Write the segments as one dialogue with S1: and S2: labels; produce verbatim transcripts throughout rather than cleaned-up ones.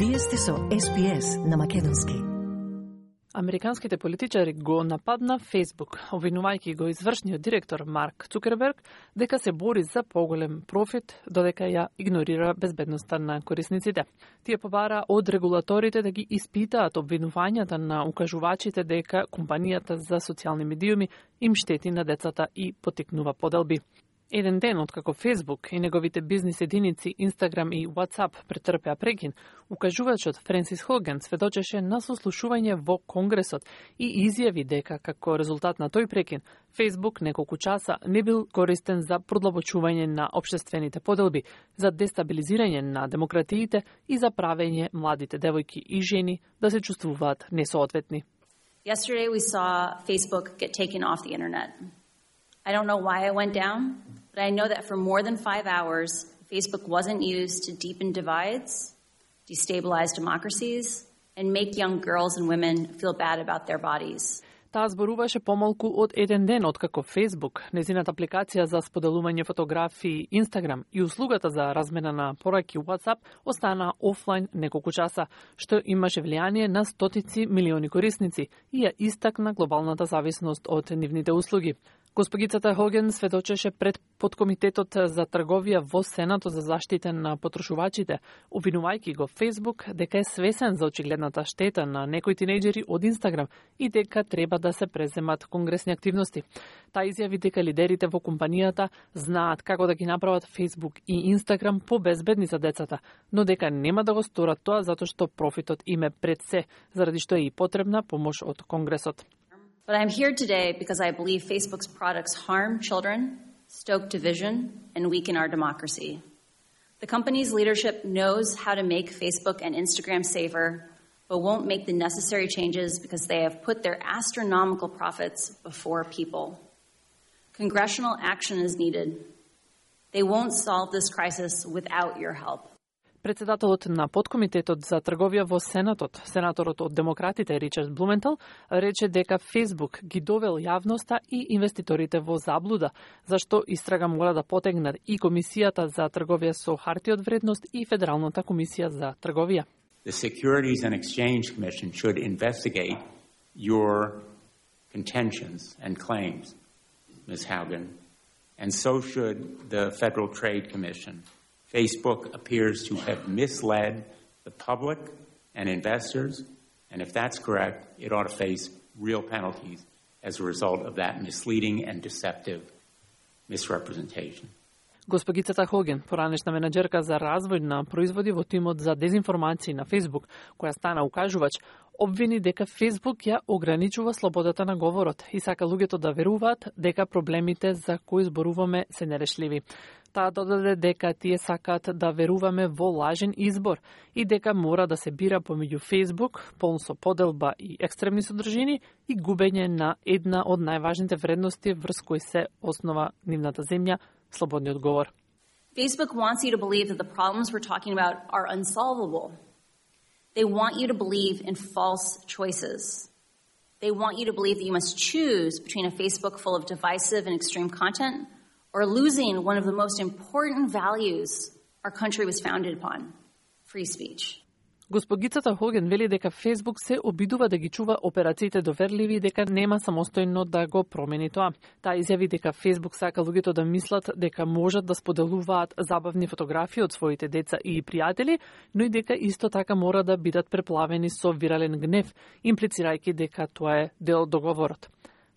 S1: Вие сте со Ес Би Ес на македонски.
S2: Американските политичари го нападна Facebook, обвинувајќи го извршниот директор Марк Цукерберг дека се бори за поголем профит, додека ја игнорира безбедноста на корисниците. Тие побара од регулаторите да ги испитаат обвинувањата на укажувачите дека компанијата за социјални медиуми им штети на децата и поттикнува поделби. Еден ден откако Facebook и неговите бизнис единици Instagram и WhatsApp претрпеа прекин, укажувачот Френсис Хоген сведочеше на сослушување во Конгресот и изјави дека како резултат на тој прекин, Facebook неколку часа не бил користен за продлабочување на општествените поделби, за дестабилизирање на демократиите и за правење младите девојки и жени да се чувствуваат несоодветни.
S3: Yesterday we saw Facebook get taken off the internet. I don't know why it went down, but I know that for more than five hours, Facebook wasn't used to deepen divides, destabilize democracies, and make young girls and women feel bad about their bodies.
S2: Таа зборуваше помалку од еден ден откако Facebook, незината апликација за споделување фотографии Instagram и услугата за размена на пораки WhatsApp остана офлайн неколку часа, што имаше влијание на стотици милиони корисници и ја истакна глобалната зависност од нивните услуги. Госпогицата Хоген сведочеше пред подкомитетот за трговија во Сенатот за заштита на потрошувачите, обвинувајќи го Facebook дека е свесен за очигледната штета на некои тинејџери од Instagram и дека треба да се преземат конгресни активности. Таа изјави дека лидерите во компанијата знаат како да ги направат Facebook и Instagram побезбедни за децата, но дека нема да го сторат тоа затоа што профитот им е пред се, заради што е и потребна помош од Конгресот.
S3: But I'm here today because I believe Facebook's products harm children, stoke division, and weaken our democracy. The company's leadership knows how to make Facebook and Instagram safer, but won't make the necessary changes because they have put their astronomical profits before people. Congressional action is needed. They won't solve this crisis without your help.
S2: Председателот на подкомитетот за трговија во Сенатот, сенаторот од демократите Ричард Блументал, рече дека Facebook ги довел јавноста и инвеститорите во заблуда, зашто истрага мора да потегнат и Комисијата за трговија со харти од вредност и Федералната комисија за трговија.
S4: The Securities and Exchange Commission should investigate your contentions and claims, Miz Haugen, and so should the Federal Trade Commission. Facebook appears to have misled the public and investors, and if that's correct, it ought to face real penalties as a result of that misleading and deceptive misrepresentation.
S2: Госпогицата Хоген, поранешна менаџерка за развој на производи во тимот за дезинформации на Facebook, која стана укажувач, обвини дека Facebook ја ограничува слободата на говорот и сака луѓето да веруваат дека проблемите за кои зборуваме се нерешливи. Таа додаде дека тие сакаат да веруваме во лажен избор и дека мора да се бира помеѓу Facebook, полн со поделба и екстремни содржини, и губење на една од најважните вредности врз кои се основа нивната земја, слободниот говор.
S3: Facebook wants you to believe that the problems we're talking about are unsolvable. They want you to believe in false choices. They want you to believe that you must choose between a Facebook full of divisive and extreme content or losing one of the most important values our country was founded upon, free speech.
S2: Госпогицата Хоген вели дека Facebook се обидува да ги чува операциите доверливи и дека нема самостојно да го промени тоа. Таа изјави дека Facebook сака луѓето да мислат дека можат да споделуваат забавни фотографии од своите деца и пријатели, но и дека исто така мора да бидат преплавени со вирален гнев, имплицирајќи дека тоа е дел од договорот.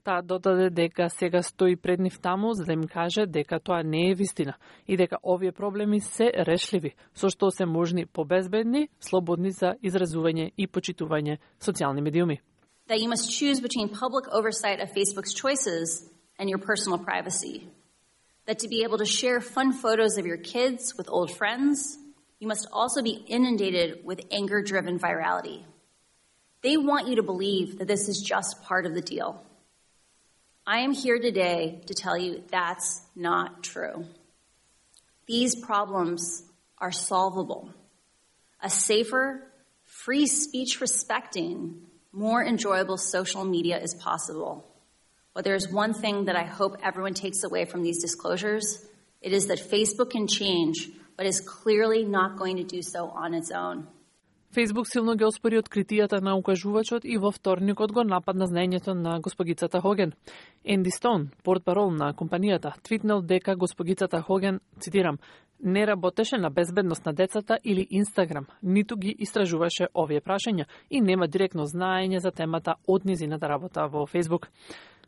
S2: Таа додаде дека сега стои пред нив таму за да им каже дека тоа не е вистина и дека овие проблеми се решливи, со што се можни побезбедни, слободни за изразување и почитување социјални медиуми.
S3: That you must choose between public oversight of Facebook's choices and your personal privacy. That to be able to share fun photos of your kids with old friends, you must also be inundated with anger-driven virality. They want you to believe that this is just part of the deal. I am here today to tell you that's not true. These problems are solvable. A safer, free speech respecting, more enjoyable social media is possible. But there's one thing that I hope everyone takes away from these disclosures. It is that Facebook can change, but is clearly not going to do so on its own.
S2: Facebook силно ги оспори откритијата на укажувачот и во вторникот го нападна знаењето на госпогицата Хоген. Енди Стоун, портпарол на компанијата, твитнел дека госпогицата Хоген, цитирам, не работеше на безбедност на децата или Инстаграм, ниту ги истражуваше овие прашања и нема директно знаење за темата од низината работа во Facebook.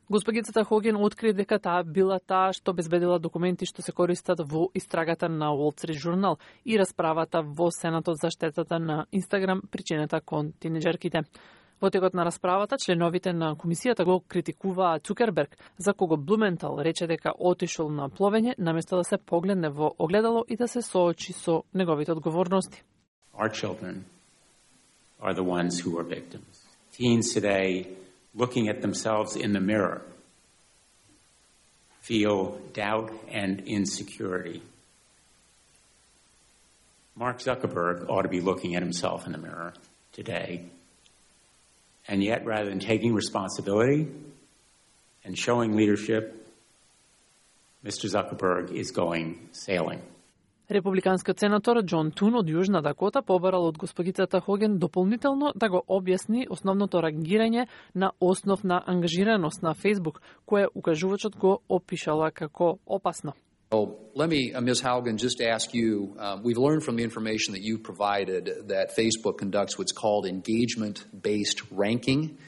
S2: Госпогицата Хоген откри дека таа била таа што безбедила документи што се користат во истрагата на Wall Street Journal и расправата во Сенатот за штетата на Инстаграм причинета кон тинеџерките. Во текот на расправата, членовите на комисијата го критикуваа Цукерберг, за кого Блументал рече дека отишол на пловење, наместо да се погледне во огледало и да се соочи со неговите одговорности.
S4: Our children are the ones who are victims. Teens today, looking at themselves in the mirror, feel doubt and insecurity. Mark Zuckerberg ought to be looking at himself in the mirror today. And yet, rather than taking responsibility and showing leadership, Mister Zuckerberg is going sailing.
S2: Републиканскиот сенатор Џон Тун од Јужна Дакота побарал од госпогицата Хоген дополнително да го објасни основното реагирање на основ на ангажираност на Facebook, кое укажувачот го опишала како опасно.
S5: Well, let me, uh, Miz Haugen, just ask you, uh, we've learned from the information that you provided that Facebook conducts what's called engagement-based ranking,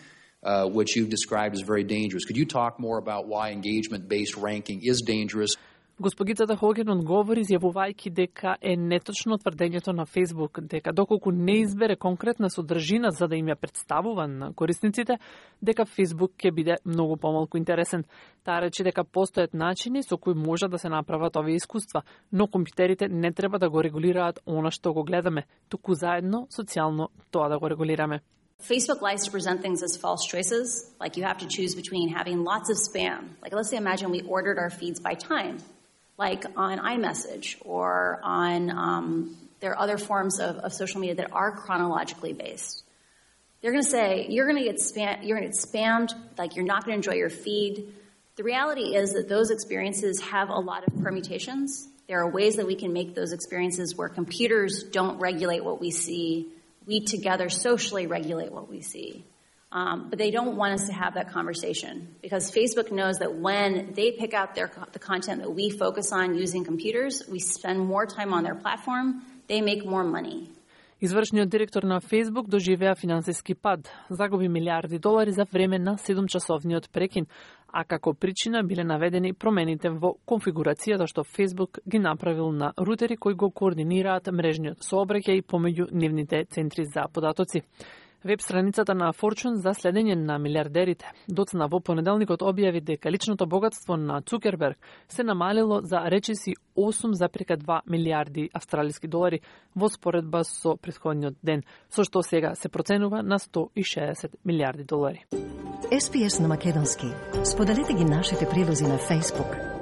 S5: uh, which you've described as very dangerous. Could you talk more about why engagement-based ranking is dangerous?
S2: Госпогицата Хоген одговори изјавувајќи дека е неточно тврдењето на Facebook дека доколку не избере конкретна содржина за да им ја представува на корисниците, дека Facebook ќе биде многу помалку интересен. Таа рече дека постојат начини со кои може да се направат овие искуства, но компјутерите не треба да го регулираат она што го гледаме, туку заедно социјално тоа да го регулираме.
S3: Facebook likes to present things as false choices, like you have to choose between having lots of spam. Like let's say imagine we ordered our feeds by time, like on iMessage or on, um, there are other forms of, of social media that are chronologically based. They're going to say, you're going to get spam, you're going to get spammed, like you're not going to enjoy your feed. The reality is that those experiences have a lot of permutations. There are ways that we can make those experiences where computers don't regulate what we see. We together socially regulate what we see. Um, but they don't want us to have that conversation because Facebook knows that when they pick out their, the content that we focus on using computers, we spend more time on their platform, they make more money.
S2: Извршниот директор на Facebook доживеа финансиски пад, загуби милиарди долари за време на седумчасовниот прекин, а како причина биле наведени промените во конфигурацијата што Facebook ги направил на рутери кои го координираат мрежниот сообраќај помеѓу нивните центри за податоци. Веб страницата на Fortune за следење на милиардерите доцна во понеделникот објави дека личното богатство на Цукерберг се намалило за речиси осум запирка два милиарди австралиски долари во споредба со претходниот ден, со што сега се проценува на сто и шеесет милиарди долари.
S1: Ес Пи Ес на македонски. Споделете ги нашите прилози на Facebook,